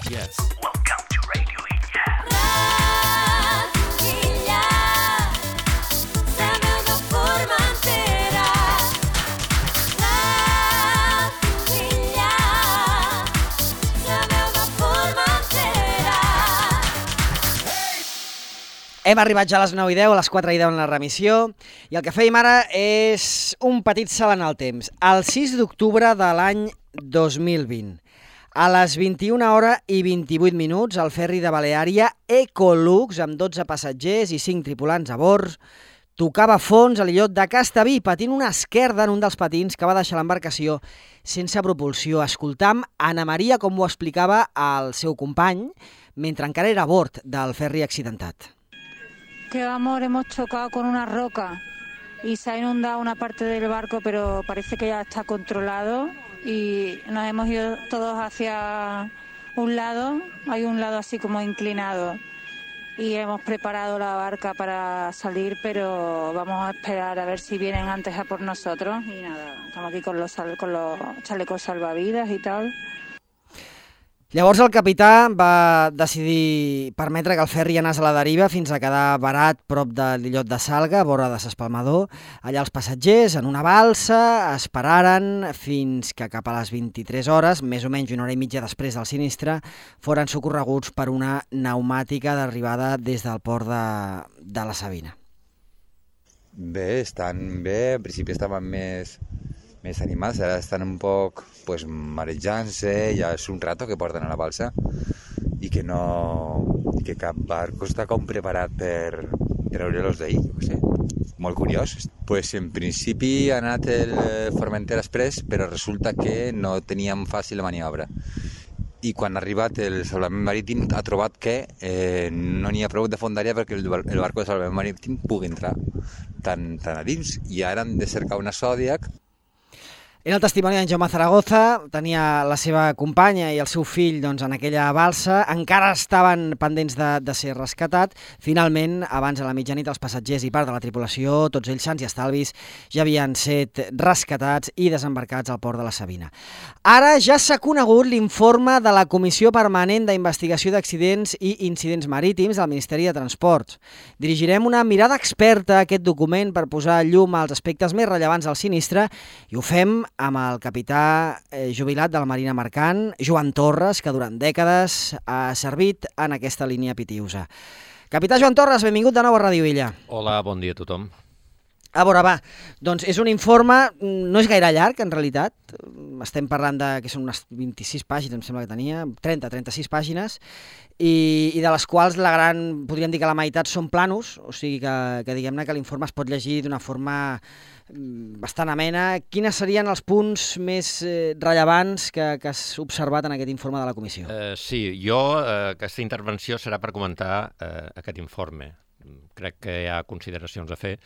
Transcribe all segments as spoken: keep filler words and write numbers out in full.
Yes. Welcome to Radio Illa. Radio Illa, la meva Formentera. Radio Illa, la meva Formentera. Hem arribat ja a les nou i deu, a les quatre i deu en la remissió, i el que fèiem ara és un petit salt en el temps. El sis d'octubre de l'any dos mil vint, a les vint-i-una hores i vint-i-vuit minuts, el ferri de Baleària Ecolux, amb dotze passatgers i cinc tripulants a bord, tocava fons a l'illot de Castellví, patint una esquerda en un dels patins que va deixar l'embarcació sense propulsió. Escoltam Ana Maria com ho explicava al seu company, mentre encara era a bord del ferri accidentat. Que amor, hemos chocado con una roca y se ha inundado una parte del barco, pero parece que ya está controlado y nos hemos ido todos hacia un lado, hay un lado así como inclinado y hemos preparado la barca para salir, pero vamos a esperar a ver si vienen antes a por nosotros y nada, estamos aquí con los, sal- con los chalecos salvavidas y tal. Llavors el capità va decidir permetre que el ferri anés a la deriva fins a quedar varat prop de l'illot de Salga, a vora de s'Espalmador. Allà els passatgers, en una balsa, esperaren fins que cap a les vint-i-tres hores, més o menys una hora i mitja després del sinistre, foren socorreguts per una pneumàtica d'arribada des del port de, de la Sabina. Bé, estan bé, en principi estaven més, més animats, ara estan un poc pues, marejant-se, ja és un rato que porten a la balsa i que no i que cap barco està com preparat per treure-los d'ahir, no sé, molt curiós. Pues en principi ha anat el Formentera Express, però resulta que no teníem fàcil la maniobra. I quan ha arribat el salvament marítim ha trobat que eh, no n'hi ha prou de fondària perquè el, el barco de salvament marítim pugui entrar tan, tan a dins. I ara han de cercar una Zodiac. Era el testimoni d'en Jaume Zaragoza, tenia la seva companya i el seu fill doncs, en aquella balsa, encara estaven pendents de, de ser rescatat. Finalment, abans de la mitjanit, els passatgers i part de la tripulació, tots ells sants i estalvis, ja havien set rescatats i desembarcats al port de la Sabina. Ara ja s'ha conegut l'informe de la Comissió Permanent d'Investigació d'Accidents i Incidents Marítims del Ministeri de Transports. Dirigirem una mirada experta a aquest document per posar llum als aspectes més rellevants del sinistre i ho fem amb el capità eh, jubilat de la Marina Mercant, Joan Torres, que durant dècades ha servit en aquesta línia pitiusa. Capità Joan Torres, benvingut de nou a Ràdio Illa. Hola, bon dia a tothom. A veure, va, doncs és un informe, no és gaire llarg, en realitat. Estem parlant de que són unes vint-i-sis pàgines, em sembla que tenia, trenta, trenta-sis pàgines, i, i de les quals la gran, podríem dir que la meitat són planos, o sigui que, que diguem-ne que l'informe es pot llegir d'una forma bastant amena. Quines serien els punts més eh, rellevants que, que has observat en aquest informe de la comissió? Uh, sí, jo, uh, aquesta intervenció serà per comentar uh, aquest informe. Crec que hi ha consideracions a fer.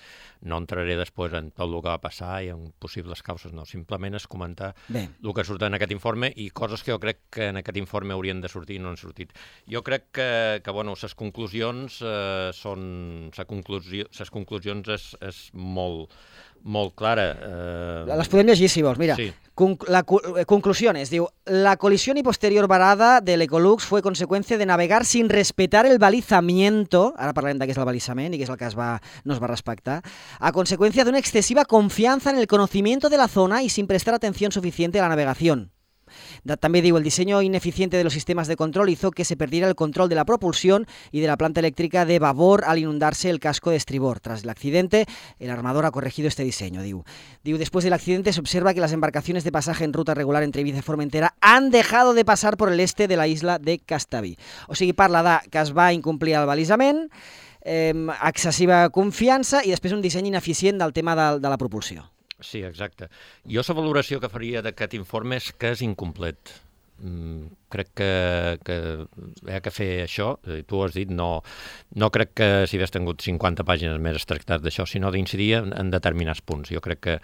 No entraré després en tot el que va passar i en possibles causes, no. Simplement és comentar Bé. el que surt en aquest informe i coses que jo crec que en aquest informe haurien de sortir i no han sortit. Jo crec que, que bueno, les conclusions eh, són... Les conclusió, conclusions és, és molt, molt clara. Eh... Les podem llegir, si vols. Mira, sí. La conclusiones, diu, la colisión y posterior varada del Ecolux fue consecuencia de navegar sin respetar el balizamiento, ara parlem de què és el balizament i què és el que es va, no es va respectar, a consecuencia de una excesiva confianza en el conocimiento de la zona y sin prestar atención suficiente a la navegación. También digo, el diseño ineficiente de los sistemas de control hizo que se perdiera el control de la propulsión y de la planta eléctrica de babor al inundarse el casco de estribor. Tras el accidente, el armador ha corregido este diseño. Diu. Diu, después del accidente se observa que las embarcaciones de pasaje en ruta regular entre Ibiza y Formentera han dejado de pasar por el este de la isla de Castellví. O sigui, parla de que es va incomplir el balisament, eh, excessiva confiança i després un disseny ineficient del tema de, de la propulsió. Sí, exacte. Jo la valoració que faria d'aquest informe és que és incomplet. Mm, crec que, que hi ha que fer això, tu ho has dit, no, no crec que si hagués tingut cinquanta pàgines més es tractat d'això, sinó d'incidir en, en determinats punts. Jo crec que,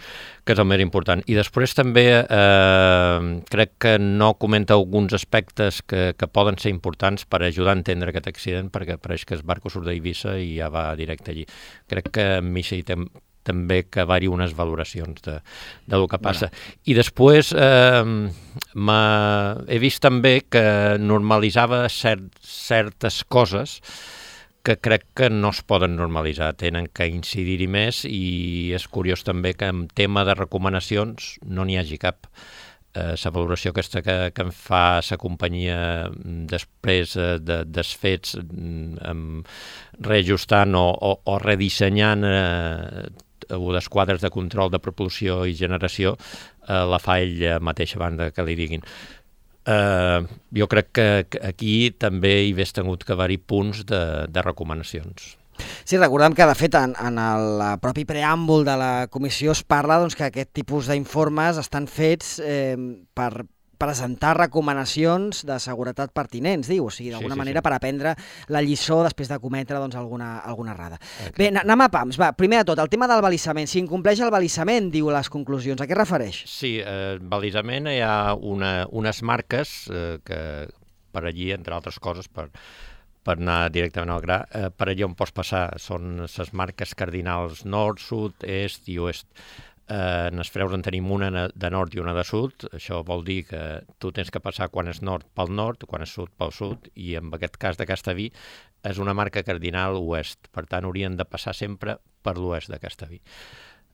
que és el més important. I després també eh, crec que no comenta alguns aspectes que, que poden ser importants per ajudar a entendre aquest accident, perquè pareix que el barco surt d'Eivissa i ja va directe allí. Crec que amb això hi també que haver-hi unes valoracions de, de lo que passa. Bueno. I després eh, he vist també que normalitzava cert, certes coses que crec que no es poden normalitzar, tenen que incidir-hi més, i és curiós també que en tema de recomanacions no n'hi hagi cap. La eh, valoració aquesta que, que em fa la companyia després eh, de, dels fets, eh, reajustant o, o, o redissenyant eh, les quadres de control de propulsió i generació, eh, la fa ell mateix abans de que li diguin. Uh, jo crec que, que aquí també hi hagués tingut que haver-hi punts de, de recomanacions. Sí, recordem que, de fet, en, en el propi preàmbul de la comissió es parla doncs, que aquest tipus d'informes estan fets eh, per presentar recomanacions de seguretat pertinents, diu, o sigui, d'alguna sí, sí, manera sí. per aprendre la lliçó després de cometre doncs, alguna, alguna errada. Okay. Bé, anem a pams. Va, primer de tot, el tema del balisament. Si incompleix el balisament, diu les conclusions, a què es refereix? Sí, eh, balisament hi ha una, unes marques eh, que per allí, entre altres coses, per, per anar directament al gra, eh, per allí on pots passar són les marques cardinals nord, sud, est i oest. Eh, en els freus en tenim una de nord i una de sud. Això vol dir que tu tens que passar quan és nord pel nord, quan és sud pel sud, i en aquest cas de Castellví és una marca cardinal oest, per tant haurien de passar sempre per l'oest de Castellví.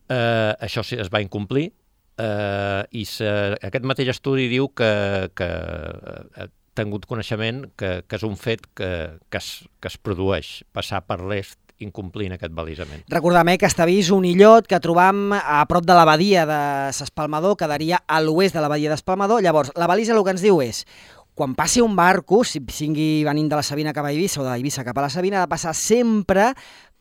Eh, això sí, es va incomplir, eh, i se, aquest mateix estudi diu que, que ha tingut coneixement que, que és un fet que, que, es, que es produeix, passar per l'est incomplint aquest balisament. Recordem eh, que Castellví és un illot que trobam a prop de la badia de s'Espalmador, quedaria a l'oest de la badia d'Espalmador. Llavors, la balisa el que ens diu és, quan passi un barco, si sigui venint de la Sabina cap a Eivissa o de Eivissa cap a la Sabina, ha de passar sempre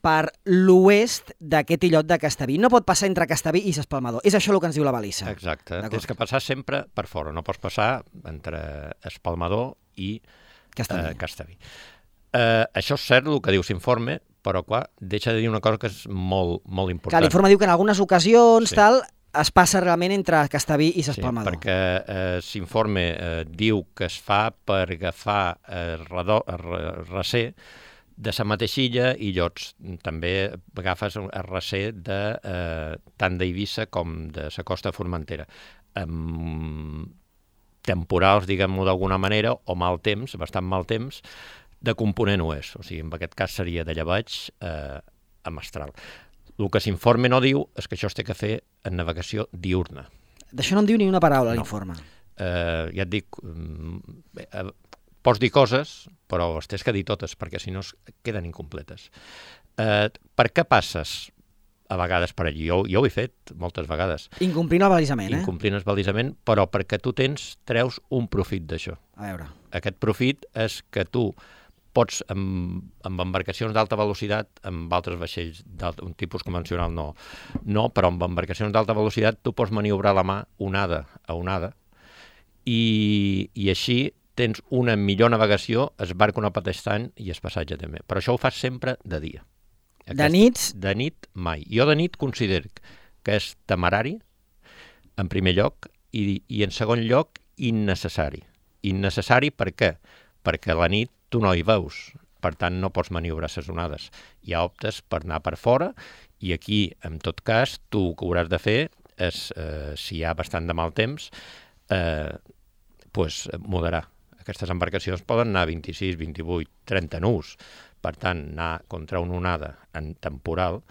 per l'oest d'aquest illot de Castellví. No pot passar entre Castellví i s'Espalmador. És això el que ens diu la balisa. Exacte. Tens que passar sempre per fora. No pots passar entre Espalmador i Castellví. Eh, Castellví. Eh, això és cert, el que diu l'informe, però clar, deixa de dir una cosa que és molt, molt important. Clar, l'informe diu que en algunes ocasions sí. tal es passa realment entre Castellví i s'Espalmador. Sí, perquè eh, l'informe eh, diu que es fa per agafar eh, recer de la mateixa illa i llots. També agafes el recer de, eh, tant d'Eivissa com de la costa formentera. Amb temporals, diguem-ho d'alguna manera, o mal temps, bastant mal temps, de component oest, o sigui, en aquest cas seria de llevaig eh, a mestral. El que l'informe no diu és que això es té que fer en navegació diurna. D'això no en diu ni una paraula, no. L'informe. Eh, ja et dic, eh, pots dir coses, però es tens que dir totes, perquè si no queden incompletes. Eh, per què passes a vegades per allí? Jo, jo ho he fet moltes vegades. Incomplint el balisament, eh? Incomplint el balisament, però perquè tu tens, treus un profit d'això. A veure. Aquest profit és que tu pots, amb, amb embarcacions d'alta velocitat, amb altres vaixells d'un tipus convencional no, no, però amb embarcacions d'alta velocitat tu pots maniobrar la mà onada a onada i, i així tens una millor navegació, es barca una patestant i es passatge també. Però això ho fas sempre de dia. Aquest, de nits? De nit, mai. Jo de nit considero que és temerari, en primer lloc, i, i en segon lloc, innecessari. Innecessari per què? Perquè a la nit tu no hi veus, per tant no pots maniobrar les onades. Ja optes per anar per fora i aquí, en tot cas, tu el que hauràs de fer és, eh, si hi ha bastant de mal temps, eh, pues, moderar. Aquestes embarcacions poden anar a vint-i-sis, vint-i-vuit, trenta nus. Per tant, anar contra una onada en temporal,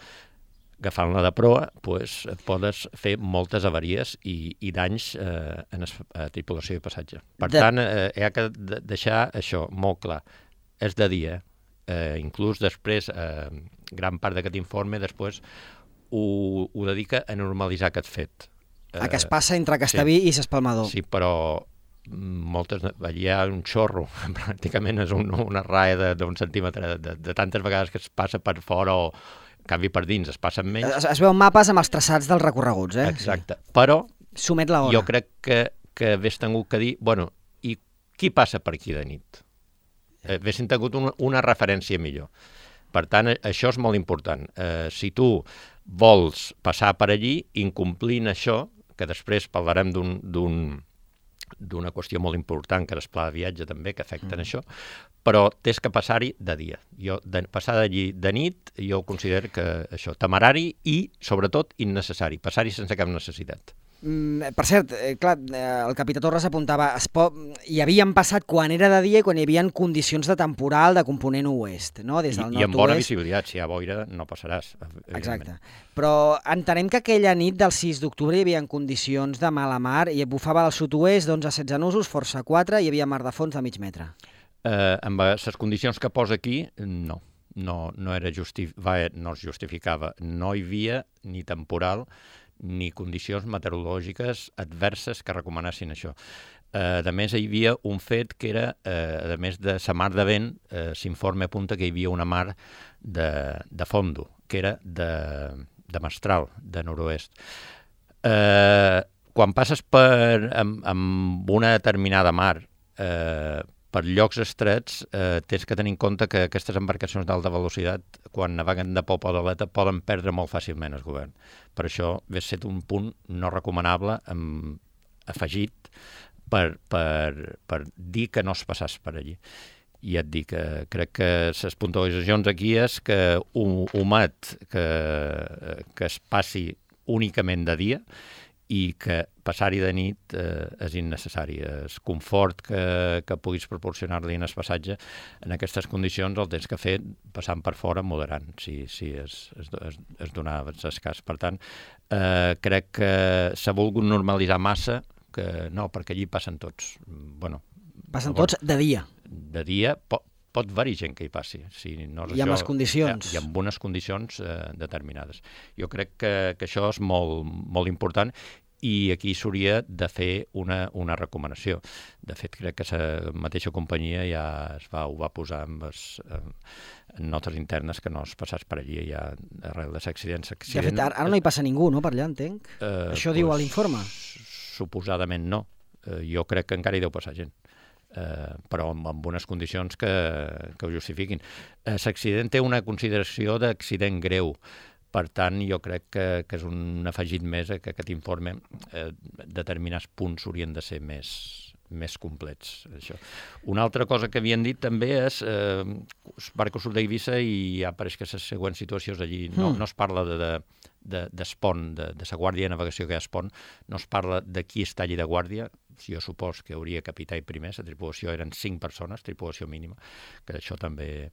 agafant-la de proa, pues, podes fer moltes avaries i, i danys eh, en la tripulació i passatge. Per de... tant, eh, hi ha que deixar això molt clar. És de dia. Eh, inclús després, eh, gran part d'aquest informe, després ho, ho dedica a normalitzar aquest fet. Eh, a què es passa entre Castellví sí, i s'Espalmador. Sí, però moltes, allà hi ha un xorro, pràcticament és un, una raia d'un centímetre, de, de tantes vegades que es passa per fora o en canvi per dins es passen menys. Es, es veuen mapes amb els traçats dels recorreguts, eh? Exacte, però Somet la hora. Jo crec que, que hagués tingut que dir, bueno, i qui passa per aquí de nit? Eh, haguessin tingut una, una referència millor. Per tant, això és molt important. Eh, si tu vols passar per allí, incomplint això, que després parlarem d'un d'una qüestió molt important, que és el pla de viatge també, que afecten mm. això, però tens que passar-hi de dia. Jo, de, passar d'allí de nit, jo considero que això, temerari i, sobretot, innecessari. Passar-hi sense cap necessitat. Mm, per cert, eh, clar, eh, el capità Torres apuntava, es pot, hi havien passat quan era de dia i quan hi havia condicions de temporal de component oest, no? Des del I, i amb bona nord-oest. visibilitat, si hi ha boira no passaràs. Exacte. Però entenem que aquella nit del sis d'octubre hi havia condicions de mala mar i bufava al sud-oest d'onze a setze nusos, força quatre, i hi havia mar de fons de mig metre. Eh, amb les condicions que posa aquí, no. No, no, era justif... Va, no es justificava. No hi havia ni temporal ni condicions meteorològiques adverses que recomanessin això. Eh, a més, hi havia un fet que era, eh, a més de la mar de vent, eh, s'informa apunta que hi havia una mar de, de fondo, que era de, de mestral, de nord-oest. Eh, quan passes per, amb, amb una determinada mar, eh, per llocs estrets, eh, tens que tenir en compte que aquestes embarcacions d'alta velocitat, quan naveguen de popa o d'aleta, poden perdre molt fàcilment el govern. Per això hauria estat un punt no recomanable, amb, afegit, per, per, per dir que no es passàs per allí. I ja et dic que crec que les puntualitzacions aquí és que un humet que, que es passi únicament de dia i que passar-hi de nit eh, és innecessari. El confort que, que puguis proporcionar-li en el passatge en aquestes condicions el tens que fer passant per fora moderant, si, si es, es, es, es donava el cas. Per tant, eh, crec que s'ha volgut normalitzar massa, que no, perquè allí passen tots. Bueno, passen tots de dia. De dia pot, pot haver-hi gent que hi passi. Si no és I amb això, les condicions. I amb unes condicions eh, determinades. Jo crec que, que això és molt, molt important i aquí s'hauria de fer una, una recomanació. De fet, crec que la mateixa companyia ja es va, ho va posar en, les, en notes internes que no es passés per allí ja arrel de l'accident. De fet, ara, ara no hi passa ningú, no?, per allà, entenc. Eh, això pues, diu a l'informe. Suposadament no. Eh, jo crec que encara hi deu passar gent. Eh, però amb, amb unes condicions que, que ho justifiquin. Eh, l'accident té una consideració d'accident greu. Per tant, jo crec que, que és un afegit més que aquest informe, eh, determinats punts haurien de ser més, més complets. Això. Una altra cosa que havien dit també és eh, barco sud d'Eivissa i ja pareix que les següents situacions allí no, no es parla de, de, de, d'espont, de, de la guàrdia de navegació que hi ha a espont, no es parla de qui està allí de guàrdia. Jo supos que hauria capità i primer, la tripulació eren cinc persones, tripulació mínima, que d'això també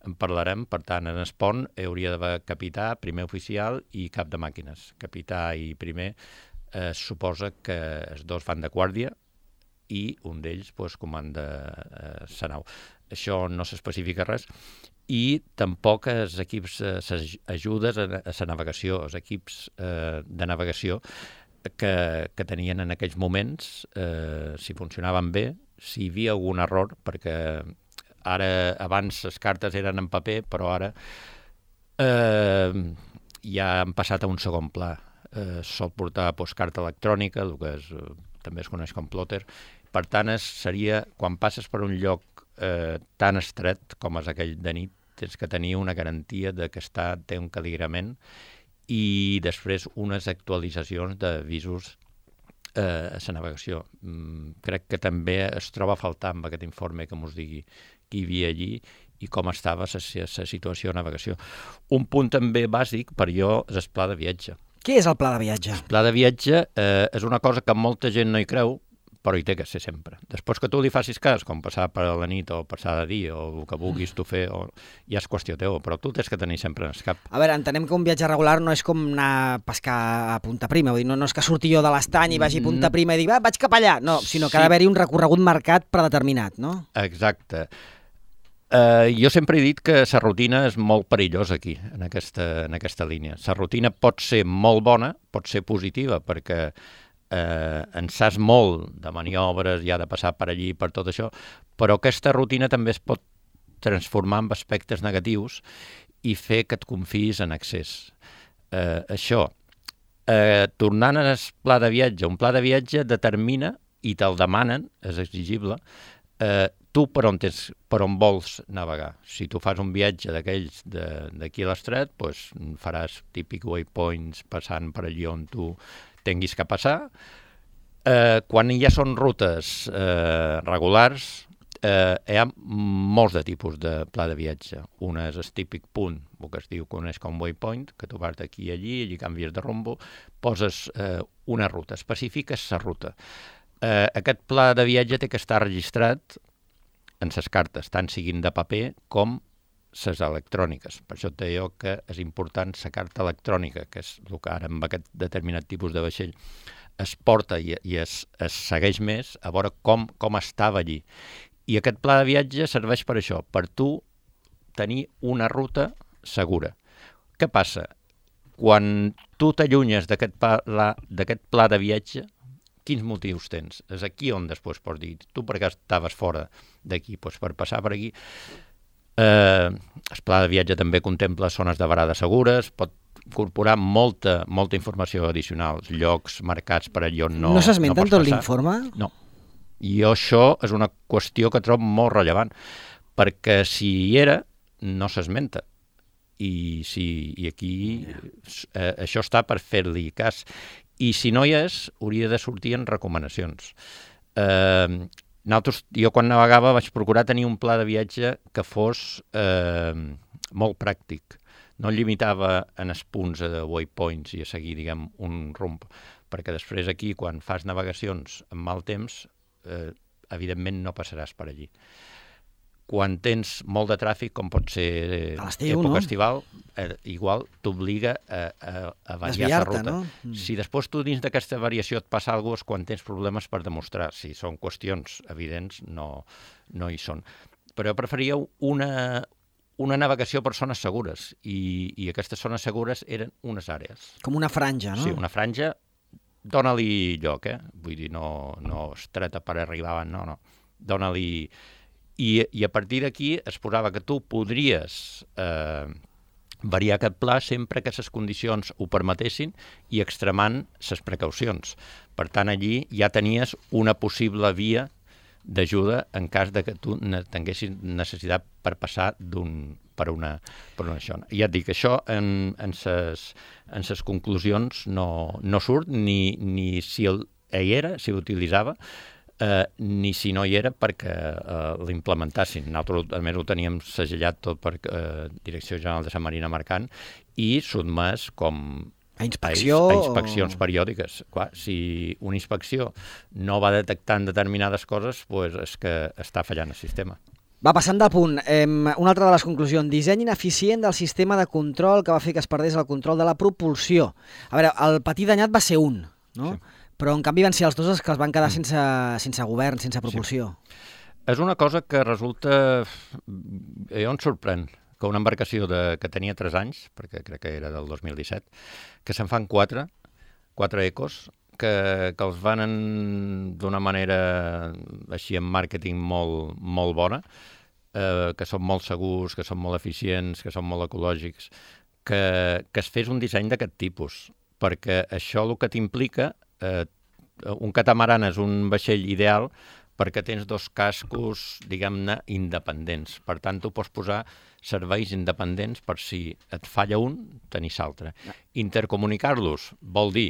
en parlarem. Per tant, en el pont hauria d'haver capità, primer oficial i cap de màquines. Capità i primer eh, suposa que els dos van de guàrdia i un d'ells pues, comanda eh, la nau. Això no s'especifica res. I tampoc els equips, les ajudes a la navegació, els equips eh, de navegació, Que, que tenien en aquells moments, eh, si funcionaven bé, si hi havia algun error, perquè ara, abans les cartes eren en paper, però ara eh, ja han passat a un segon pla. Eh, sol portar pues, carta electrònica, el que és, eh, també es coneix com plotter. Per tant, es, seria, quan passes per un lloc eh, tan estret com és aquell de nit, tens que tenir una garantia de que està, té un caligrament i després unes actualitzacions d'avisos eh, a la navegació. Mm, crec que també es troba a faltar amb aquest informe que ens digui qui hi havia allí i com estava la situació de navegació. Un punt també bàsic per jo és el pla de viatge. Què és el pla de viatge? El pla de viatge eh, és una cosa que molta gent no hi creu, però hi té que ser sempre. Després que tu li facis cas, com passar per la nit o passar de dia o el que vulguis tu fer, o, ja és qüestió teva, però tu tens que tenir sempre en el cap. A veure, entenem que un viatge regular no és com anar a pescar a Punta Prima, vull dir, no, no és que surti jo de l'estany i vagi a Punta Prima i dic, va, vaig cap allà, no, sinó que sí. Ha d'haver-hi un recorregut marcat predeterminat, no? Exacte. Uh, jo sempre he dit que la rutina és molt perillosa aquí, en aquesta, en aquesta línia. La rutina pot ser molt bona, pot ser positiva, perquè eh, en saps molt de maniobres, ja de passar per allí, per tot això, però aquesta rutina també es pot transformar en aspectes negatius i fer que et confiïs en excés. Eh, això, eh, tornant al pla de viatge, un pla de viatge determina, i te'l demanen, és exigible, eh, tu per on, tens, per on vols navegar. Si tu fas un viatge d'aquells d'aquí a l'estret, doncs faràs típic waypoints passant per allí on tu tinguis que passar, Eh, quan ja són rutes eh, regulars, eh, hi ha molts de tipus de pla de viatge. Un és el típic punt, el que es diu que és com waypoint, que tu vas d'aquí a allí, allí canvies de rumbo, poses eh, una ruta, especifiques la ruta. Eh, aquest pla de viatge té que estar registrat en les cartes, tant siguin de paper com les electròniques. Per això et deia que és important la carta electrònica, que és el que ara amb aquest determinat tipus de vaixell es porta i, i es, es segueix més a veure com, com estava allí. I aquest pla de viatge serveix per això, per tu tenir una ruta segura. Què passa? Quan tu t'allunyes d'aquest pla, d'aquest pla de viatge, quins motius tens? És aquí on després pots dir, tu per què estaves fora d'aquí? Pues per passar per aquí. Eh, el pla de viatge també contempla zones de varada segures, pot incorporar molta, molta informació addicional, llocs marcats per allò on no, No s'esmenta no en pots tot passar. l'informe? No. I això és una qüestió que trobo molt rellevant, perquè si hi era, no s'esmenta. I, si, i aquí eh, això està per fer-li cas. I si no hi és, hauria de sortir en recomanacions. Eh, nosaltres, jo quan navegava vaig procurar tenir un pla de viatge que fos eh, molt pràctic. No limitava en els punts de waypoints i a seguir, diguem, un rumb, perquè després aquí, quan fas navegacions amb mal temps, eh, evidentment no passaràs per allí. Quan tens molt de tràfic, com pot ser eh, A l'estiu, època no? estival, eh, igual t'obliga a, a, a variar la Desviar-te, ruta. no? Mm. Si després tu dins d'aquesta variació et passa alguna cosa, és quan tens problemes per demostrar. Si són qüestions evidents, no, no hi són. Però jo preferia una, una navegació per zones segures, i, i aquestes zones segures eren unes àrees. Com una franja, no? Sí, una franja, dóna-li lloc, eh? Vull dir, no, no estreta per arribar, no, no. Dóna-li... I, I a partir d'aquí es posava que tu podries eh, variar aquest pla sempre que les condicions ho permetessin i extremant les precaucions. Per tant, allí ja tenies una possible via d'ajuda en cas de que tu ne tinguessis necessitat per passar d'un per una, per una això. I ja et dic, això en, en ses, en ses conclusions no, no surt, ni, ni si el, hi era, si l'utilitzava, eh, ni si no hi era perquè eh, l'implementassin. Nosaltres, a més, ho teníem segellat tot per eh, Direcció General de la Marina Mercant i sotmès com A inspecció a, a inspeccions o... periòdiques. Clar, si una inspecció no va detectant determinades coses, pues és que està fallant el sistema. Va, passant de punt, eh, una altra de les conclusions, disseny ineficient del sistema de control que va fer que es perdés el control de la propulsió. A veure, el patí danyat va ser un, no? Sí. Però en canvi van ser els dos els que es van quedar sense, sense govern, sense propulsió. Sí. És una cosa que resulta... Jo em sorprèn que una embarcació de, que tenia tres anys, perquè crec que era del dos mil disset, que se'n fan quatre, quatre ecos, que, que els van d'una manera així en màrqueting molt, molt bona, eh, que són molt segurs, que són molt eficients, que són molt ecològics, que, que es fes un disseny d'aquest tipus, perquè això el que t'implica, eh, un catamaran és un vaixell ideal perquè tens dos cascos, diguem-ne, independents. Per tant, tu pots posar serveis independents per si et falla un, tenir l'altre. Intercomunicar-los vol dir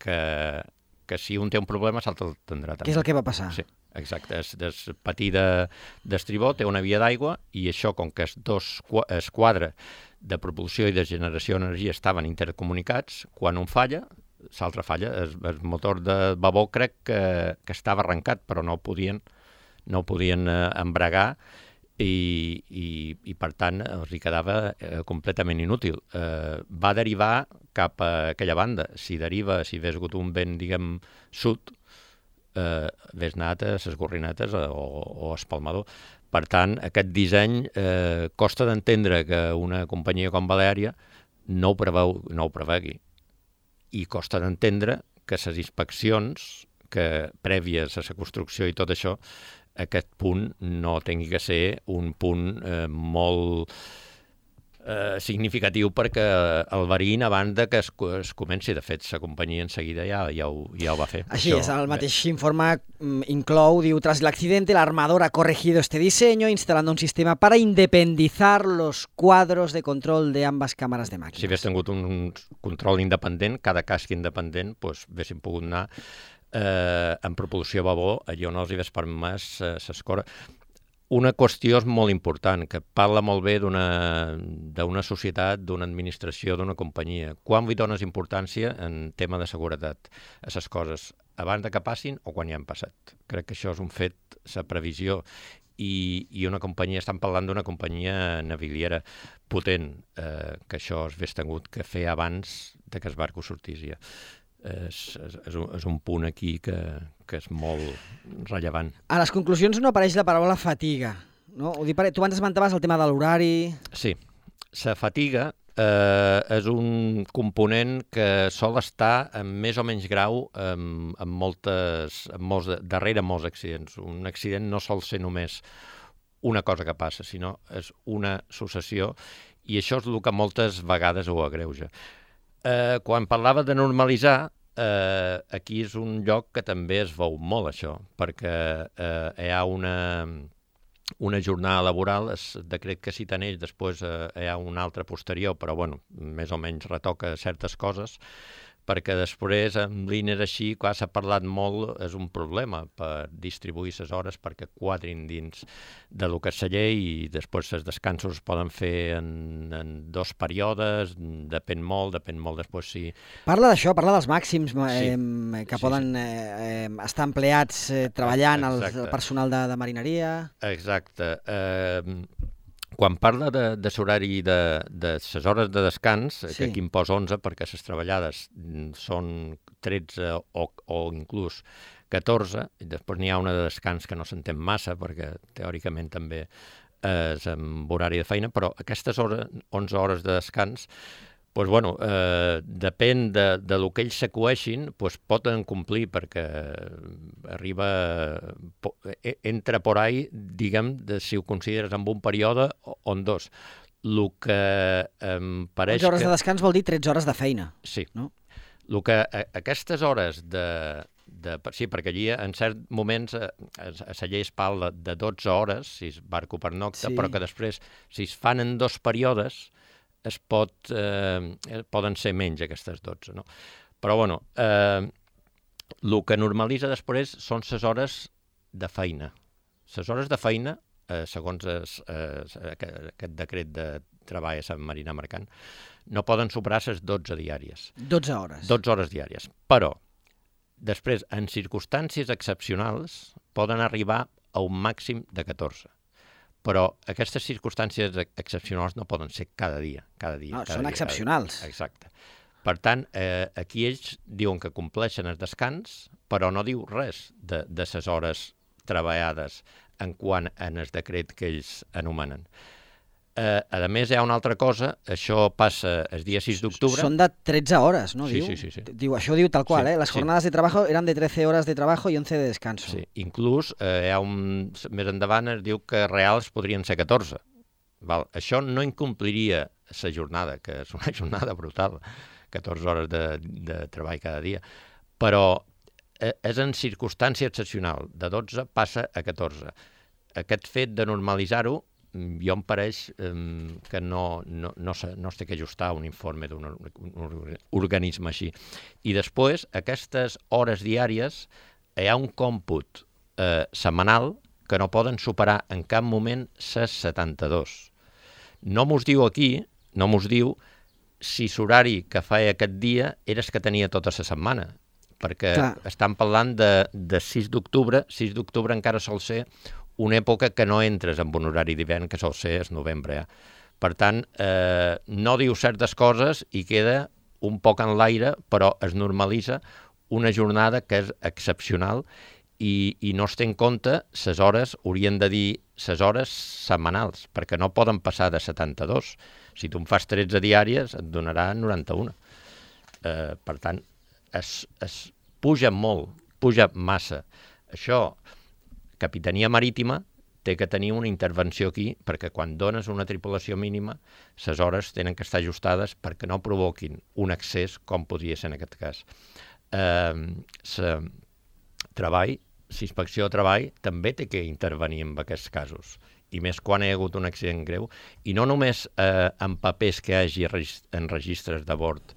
que, que si un té un problema, l'altre el tindrà també. Què és el que va passar? Sí, exacte. Es, es patí d'estribó té una via d'aigua i això, com que els dos esquadres de propulsió i de generació d'energia estaven intercomunicats, quan un falla, l'altre falla. El, el motor de babó crec que, que estava arrencat, però no ho podien, no ho podien eh, embregar i, i, i per tant els hi quedava eh, completament inútil. Eh, va derivar cap a aquella banda. Si deriva, si hagués hagut un vent, diguem, sud, eh, hagués anat a les gorrinetes o, o a espalmador. Per tant, aquest disseny eh, costa d'entendre que una companyia com Baleària no ho, preveu, no ho prevegui. I costa d'entendre que les inspeccions que prèvies a la construcció i tot això, aquest punt no tingui que ser un punt eh, molt eh, significatiu perquè el variïn abans de que es, es comenci. De fet, la companyia en seguida ja, ja, ho, ja ho va fer. Així això, és, el mateix informe mm, inclou, diu, tras el accidente, la armadora ha corregido este diseño instalando un sistema para independizar los cuadros de control de ambas cámaras de màquines. Si hagués tingut un control independent, cada casc independent, doncs, haguéssim pogut anar eh, en propulsió babó, allò no els hi ves permès eh, s'escora. Una qüestió és molt important, que parla molt bé d'una d'una societat, d'una administració, d'una companyia. Quan hi dones importància en tema de seguretat a les coses? Abans de que passin o quan ja han passat? Crec que això és un fet, la previsió. I, i una companyia, estan parlant d'una companyia naviliera potent, eh, que això es hagués tingut que fer abans de que el barco sortís ja. És, és, és, un, és un punt aquí que, que és molt rellevant. A les conclusions no apareix la paraula fatiga, no? Ho dic, per- tu abans esmentaves el tema de l'horari... Sí, la fatiga eh, és un component que sol estar en més o menys grau en, en moltes, en molts, darrere molts accidents. Un accident no sol ser només una cosa que passa, sinó és una successió, i això és el que moltes vegades ho agreuja. Eh, quan parlava de normalitzar, eh, aquí és un lloc que també es veu molt això, perquè eh, hi ha una, una jornada laboral, es decret que citen ells, després eh, hi ha una altra posterior, però bueno, més o menys retoca certes coses, perquè després en línies així, quan s'ha parlat molt, és un problema per distribuir les hores perquè quadrin dins de lo que és la llei, i després els descansos es poden fer en, en dos períodes, depèn molt, depèn molt després si... Parla d'això, parla dels màxims eh, Sí. que Sí, poden eh, eh, estar empleats eh, treballant, el, Exacte. el personal de, de marineria... Exacte. Eh, quan parla de, de l'horari de, de les hores de descans, sí. Sí. que aquí em posa onze perquè les treballades mm, són tretze o, o inclús catorze, i després n'hi ha una de descans que no s'entén massa perquè teòricament també és amb horari de feina, però aquestes hores, onze hores de descans, pues bueno, eh, depèn de, de lo que ells s'acueixin, pues poden complir perquè arriba, po, eh, entra por ahí, diguem, de, si ho consideres en un període o, o en dos. El que em pareix onze hores que... de descans vol dir tretze hores de feina. Sí. No? El que a, aquestes hores de, de... Sí, perquè allí en certs moments a, a, a la llei es parla de dotze hores, si és barco per nocta, Sí. però que després, si es fan en dos períodes, es pot, eh, poden ser menys aquestes dotze, no? Però, bueno, eh, el que normalitza després són les hores de feina. Les hores de feina, eh, segons es, eh, aquest decret de treball a Sant Marina Mercant, no poden superar les dotze diàries. dotze hores. dotze hores diàries. Però, després, en circumstàncies excepcionals, poden arribar a un màxim de catorze. Però aquestes circumstàncies excepcionals no poden ser cada dia. Cada dia No, cada són dia, excepcionals. Cada... Exacte. Per tant, eh, aquí ells diuen que compleixen el descans, però no diu res de, de les hores treballades en quant en el decret que ells anomenen. Eh, a més, hi ha una altra cosa, això passa el dia sis d'octubre. Són de tretze hores, no? Sí, diu? sí, sí, sí. Diu, això diu tal qual, Sí, eh? Las sí. jornadas de trabajo eran de trece horas de trabajo y once de descanso. Sí, inclús eh, hi ha un, més endavant es diu que reals podrien ser catorze. Val? Això no incompliria la jornada, que és una jornada brutal, catorze hores de, de treball cada dia, però eh, és en circumstància excepcional, de dotze passa a catorze. Aquest fet de normalitzar-ho, jo em pareix eh, que no, no, no, se, no es té que ajustar a un informe d'un or, un organisme així. I després, aquestes hores diàries, hi ha un còmput eh, setmanal que no poden superar en cap moment les setanta-dos. No mos diu aquí, no mos diu si l'horari que feia aquest dia era el que tenia tota la setmana, perquè Clar. estan parlant de, de sis d'octubre, sis d'octubre encara sol ser una època que no entres en un horari d'hivern, que sol ser el novembre. Ja. Per tant, eh, no diu certes coses i queda un poc en l'aire, però es normalitza una jornada que és excepcional i, i no es té en compte les hores, haurien de dir les hores setmanals, perquè no poden passar de setanta-dos. Si tu en fas tretze diàries, et donarà noranta-un. Eh, per tant, es, es puja molt, puja massa. Això, Capitania Marítima té que tenir una intervenció aquí, perquè quan dones una tripulació mínima, les hores tenen que estar ajustades perquè no provoquin un excés, com podria ser en aquest cas. Eh, la treball, la inspecció de treball, també té que intervenir en aquests casos, i més quan hi ha hagut un accident greu, i no només eh, en papers que hi hagi en registres de bord,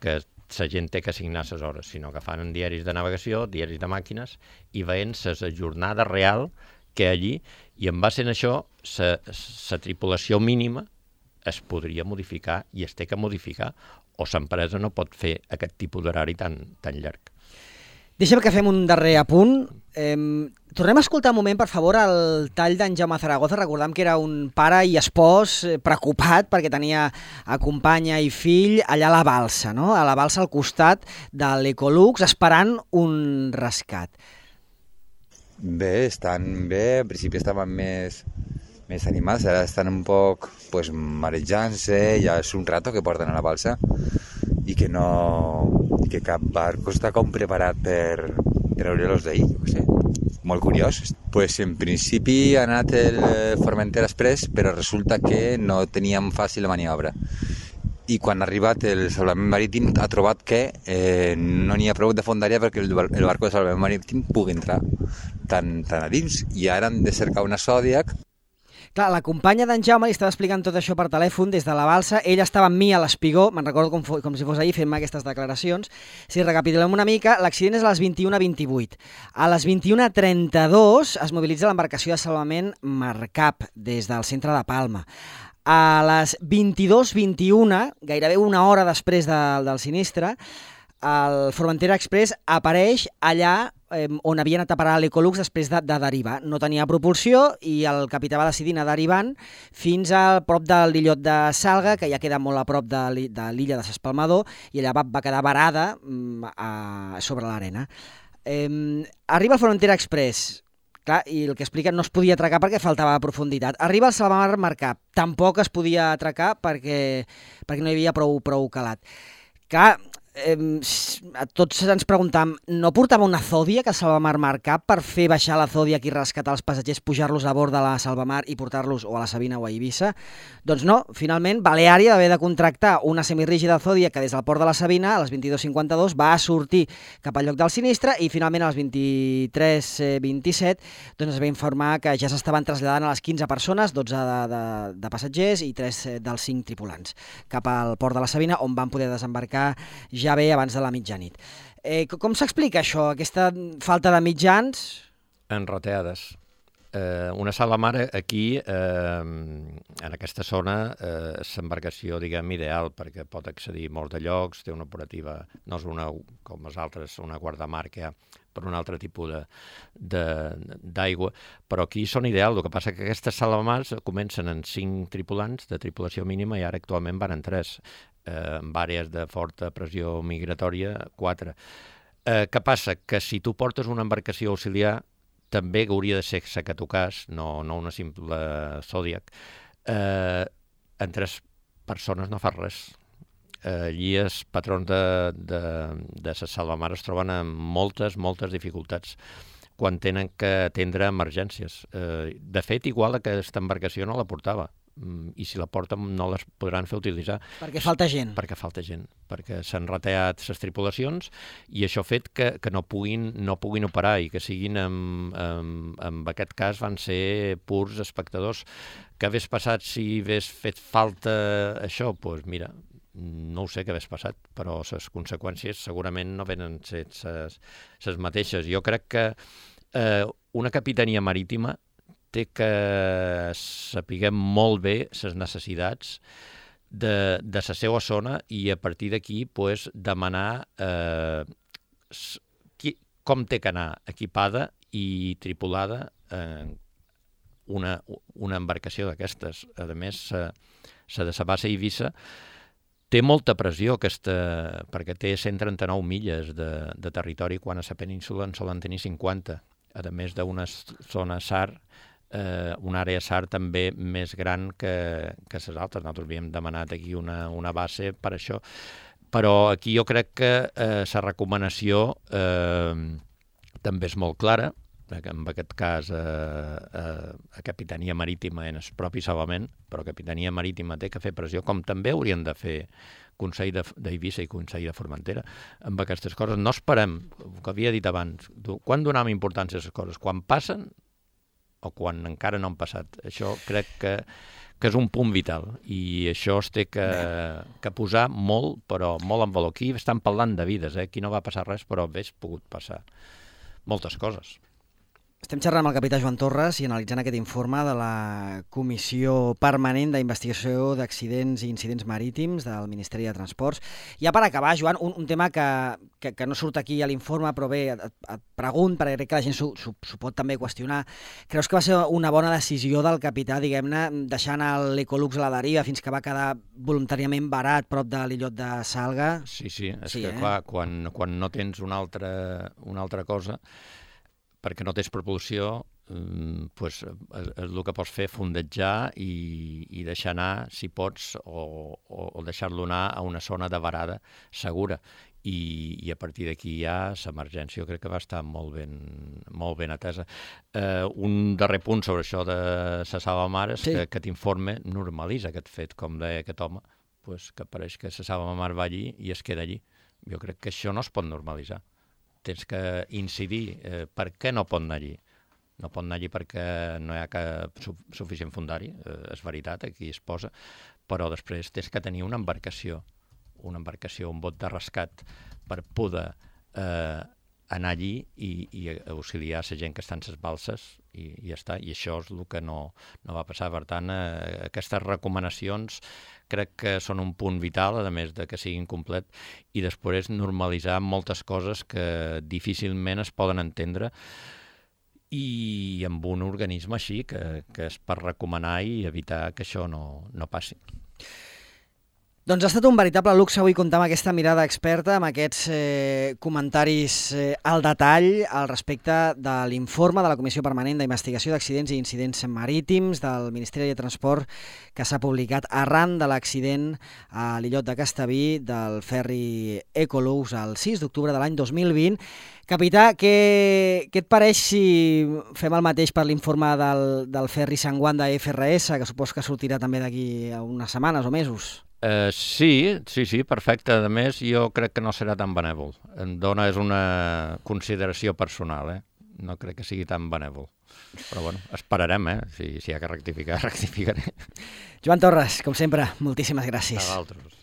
que la gent té que assignar les hores, sinó que fan diaris de navegació, diaris de màquines, i veient la jornada real que allí, i en base a això, la tripulació mínima es podria modificar i es té que modificar, o l'empresa no pot fer aquest tipus d'horari tan, tan llarg. Deixa'm que fem un darrer apunt. Eh, tornem a escoltar un moment, per favor, el tall d'en Jaume Zaragoza. Recordam que era un pare i espòs eh, preocupat perquè tenia a companya i fill allà a la balsa, no? A la balsa al costat de l'Ecolux, esperant un rescat. Bé, estan bé. En principi estaven més, més animats, ara estan un poc pues, marejant-se, ja és un rato que porten a la balsa i que no... i que cap barco està com preparat per treure-los d'ahir, jo què sé. Molt curiós. Pues en principi ha anat el Formentera Express, però resulta que no teníem fàcil la maniobra. I quan ha arribat el salvament marítim ha trobat que eh, no n'hi ha prou de fondària perquè el, el barco de salvament marítim pugui entrar tan, tan a dins. I ara han de cercar una Zodiac. Clar, la companya d'en Jaume li estava explicant tot això per telèfon des de la balsa. Ell estava amb mi a l'espigó, me'n recordo com, com si fos ahir fent-me aquestes declaracions. Si recapitulem una mica, l'accident és a les vint-i-una vint-i-vuit. A les vint-i-una trenta-dos es mobilitza l'embarcació de salvament Marcap des del centre de Palma. A les vint-i-dos vint-i-una, gairebé una hora després de, del sinistre, el Formentera Express apareix allà eh, on havia anat a parar l'Ecolux després de, de derivar. No tenia propulsió i el capità va decidir anar derivant fins a prop de l'illot de Salga, que ja queda molt a prop de l'illa de s'Espalmador, i allà va, va quedar varada mm, a, sobre l'arena. Eh, arriba el Formentera Express, clar, i el que explica, no es podia atracar perquè faltava profunditat. Arriba el Salvamar Marcap, tampoc es podia atracar perquè, perquè no hi havia prou, prou calat. Clar, eh, a tots ens preguntàvem, no portava una Zodiac a Salvamar Marcap per fer baixar la Zodiac i rescatar els passatgers, pujar-los a bord de la Salvamar i portar-los o a la Sabina o a Eivissa? Doncs no, finalment Baleària va haver de contractar una semirígida Zodiac que des del port de la Sabina a les vint-i-dos cinquanta-dos va sortir cap al lloc del sinistre i finalment a les vint-i-tres vint-i-set doncs es va informar que ja s'estaven traslladant a les quinze persones, dotze de, de, de passatgers i tres dels cinc tripulants cap al port de la Sabina, on van poder desembarcar ja bé abans de la mitjanit. Eh, com s'explica això, aquesta falta de mitjans? Enroteades. Eh, una sala mare aquí, eh, en aquesta zona, eh, és l'embarcació, diguem, ideal, perquè pot accedir a molts de llocs, té una operativa, no és una, com les altres, una guardamar que hi ha per un altre tipus d'aigua, però aquí són ideals. El que passa que aquestes salamars comencen en cinc tripulants de tripulació mínima i ara actualment van en tres, eh, amb àrees de forta pressió migratòria, quatre. Eh, què passa? Que si tu portes una embarcació auxiliar, també hauria de ser la que tocàs, no, no una simple Zodiac, eh, en tres persones no fa res. Eh, allí els patrons de, de, de les salvamar es troben amb moltes, moltes dificultats quan tenen que atendre emergències. Eh, de fet, igual que aquesta embarcació no la portava, i si la porten no les podran fer utilitzar. Perquè falta gent. Perquè falta gent, perquè s'han retallat les tripulacions i això ha fet que, que no, puguin, no puguin operar i que siguin, en, en, en aquest cas, van ser purs espectadors. Què hagués passat si hagués fet falta això? Doncs pues mira, no ho sé què hagués passat, però les conseqüències segurament no venen set les mateixes. Jo crec que eh, una capitania marítima té que sapiguem molt bé les necessitats de, de la seva zona i a partir d'aquí pues, demanar eh, qui, com té que anar equipada i tripulada eh, una, una embarcació d'aquestes. A més, la de la base Eivissa té molta pressió, aquesta, perquè té cent trenta-nou milles de, de territori, quan a la península en solen tenir cinquanta, a més d'una zona S A R, Eh, una àrea S A R també més gran que, que les altres. Nosaltres havíem demanat aquí una, una base per això, però aquí jo crec que eh, la recomanació eh, també és molt clara, que en aquest cas eh, eh, a Capitania Marítima en el propi salvament, però Capitania Marítima té que fer pressió, com també haurien de fer Consell d'Eivissa i Consell de Formentera amb aquestes coses. No esperem, el que havia dit abans, quan donem importància a les coses? Quan passen o quan encara no han passat. Això crec que, que és un punt vital, i això es té que, que posar molt, però molt en valor. Aquí estan parlant de vides, eh? Aquí no va passar res, però hauria pogut passar moltes coses. Estem xerrant amb el capità Joan Torres i analitzant aquest informe de la Comissió Permanent d'Investigació d'Accidents i Incidents Marítims del Ministeri de Transports. Ja per acabar, Joan, un, un tema que, que, que no surt aquí a l'informe, però bé, et, et pregunto, perquè crec que la gent s'ho, s'ho, s'ho pot també qüestionar. Creus que va ser una bona decisió del capità, diguem-ne, deixant l'Ecolux a la deriva fins que va quedar voluntàriament varat prop de l'illot de Salga? Sí, sí, és Sí, que eh? clar, quan, quan no tens una altra, una altra cosa, perquè no tens propulsió, eh, pues, és, és el que pots fer fondejar i, i deixar anar, si pots, o, o, o deixar-lo anar a una zona de varada segura. I, i a partir d'aquí ja l'emergència jo crec que va estar molt ben, molt ben atesa. Eh, un darrer punt sobre això de la salvamar és Sí. que aquest informe normalitza aquest fet, com deia aquest home, pues, que pareix que la salvamar va allí i es queda allí. Jo crec que això no es pot normalitzar. Tens que incidir eh, per què no pot anar allí. No pot anar allí perquè no hi ha cap su suficient fundari, eh, és veritat, aquí es posa, però després tens que tenir una embarcació, una embarcació, un bot de rescat per poder eh, anar allí i, i auxiliar la gent que està en les balses i, i ja està. I això és el que no, no va passar. Per tant, eh, aquestes recomanacions crec que són un punt vital, a més de que siguin complet, i després normalitzar moltes coses que difícilment es poden entendre i amb un organisme així, que, que és per recomanar i evitar que això no, no passi. Doncs ha estat un veritable luxe avui comptar amb aquesta mirada experta, amb aquests eh, comentaris eh, al detall al respecte de l'informe de la Comissió Permanent d'Investigació d'Accidents i Incidents Marítims del Ministeri de Transport que s'ha publicat arran de l'accident a l'illot de Castellví del ferri Ecolux el sis d'octubre de l'any dos mil vint. Capità, què, què et pareix si fem el mateix per l'informe del, del ferri Sant Juan de F R S, que supos que sortirà també d'aquí a unes setmanes o mesos? Uh, sí, sí, sí, perfecte. A més, jo crec que no serà tan benèvol. Em dona, és una consideració personal, eh? No crec que sigui tan benèvol. Però bueno, esperarem, eh? Si, si hi ha que rectificar, rectificaré. Joan Torres, com sempre, moltíssimes gràcies. A vosaltres.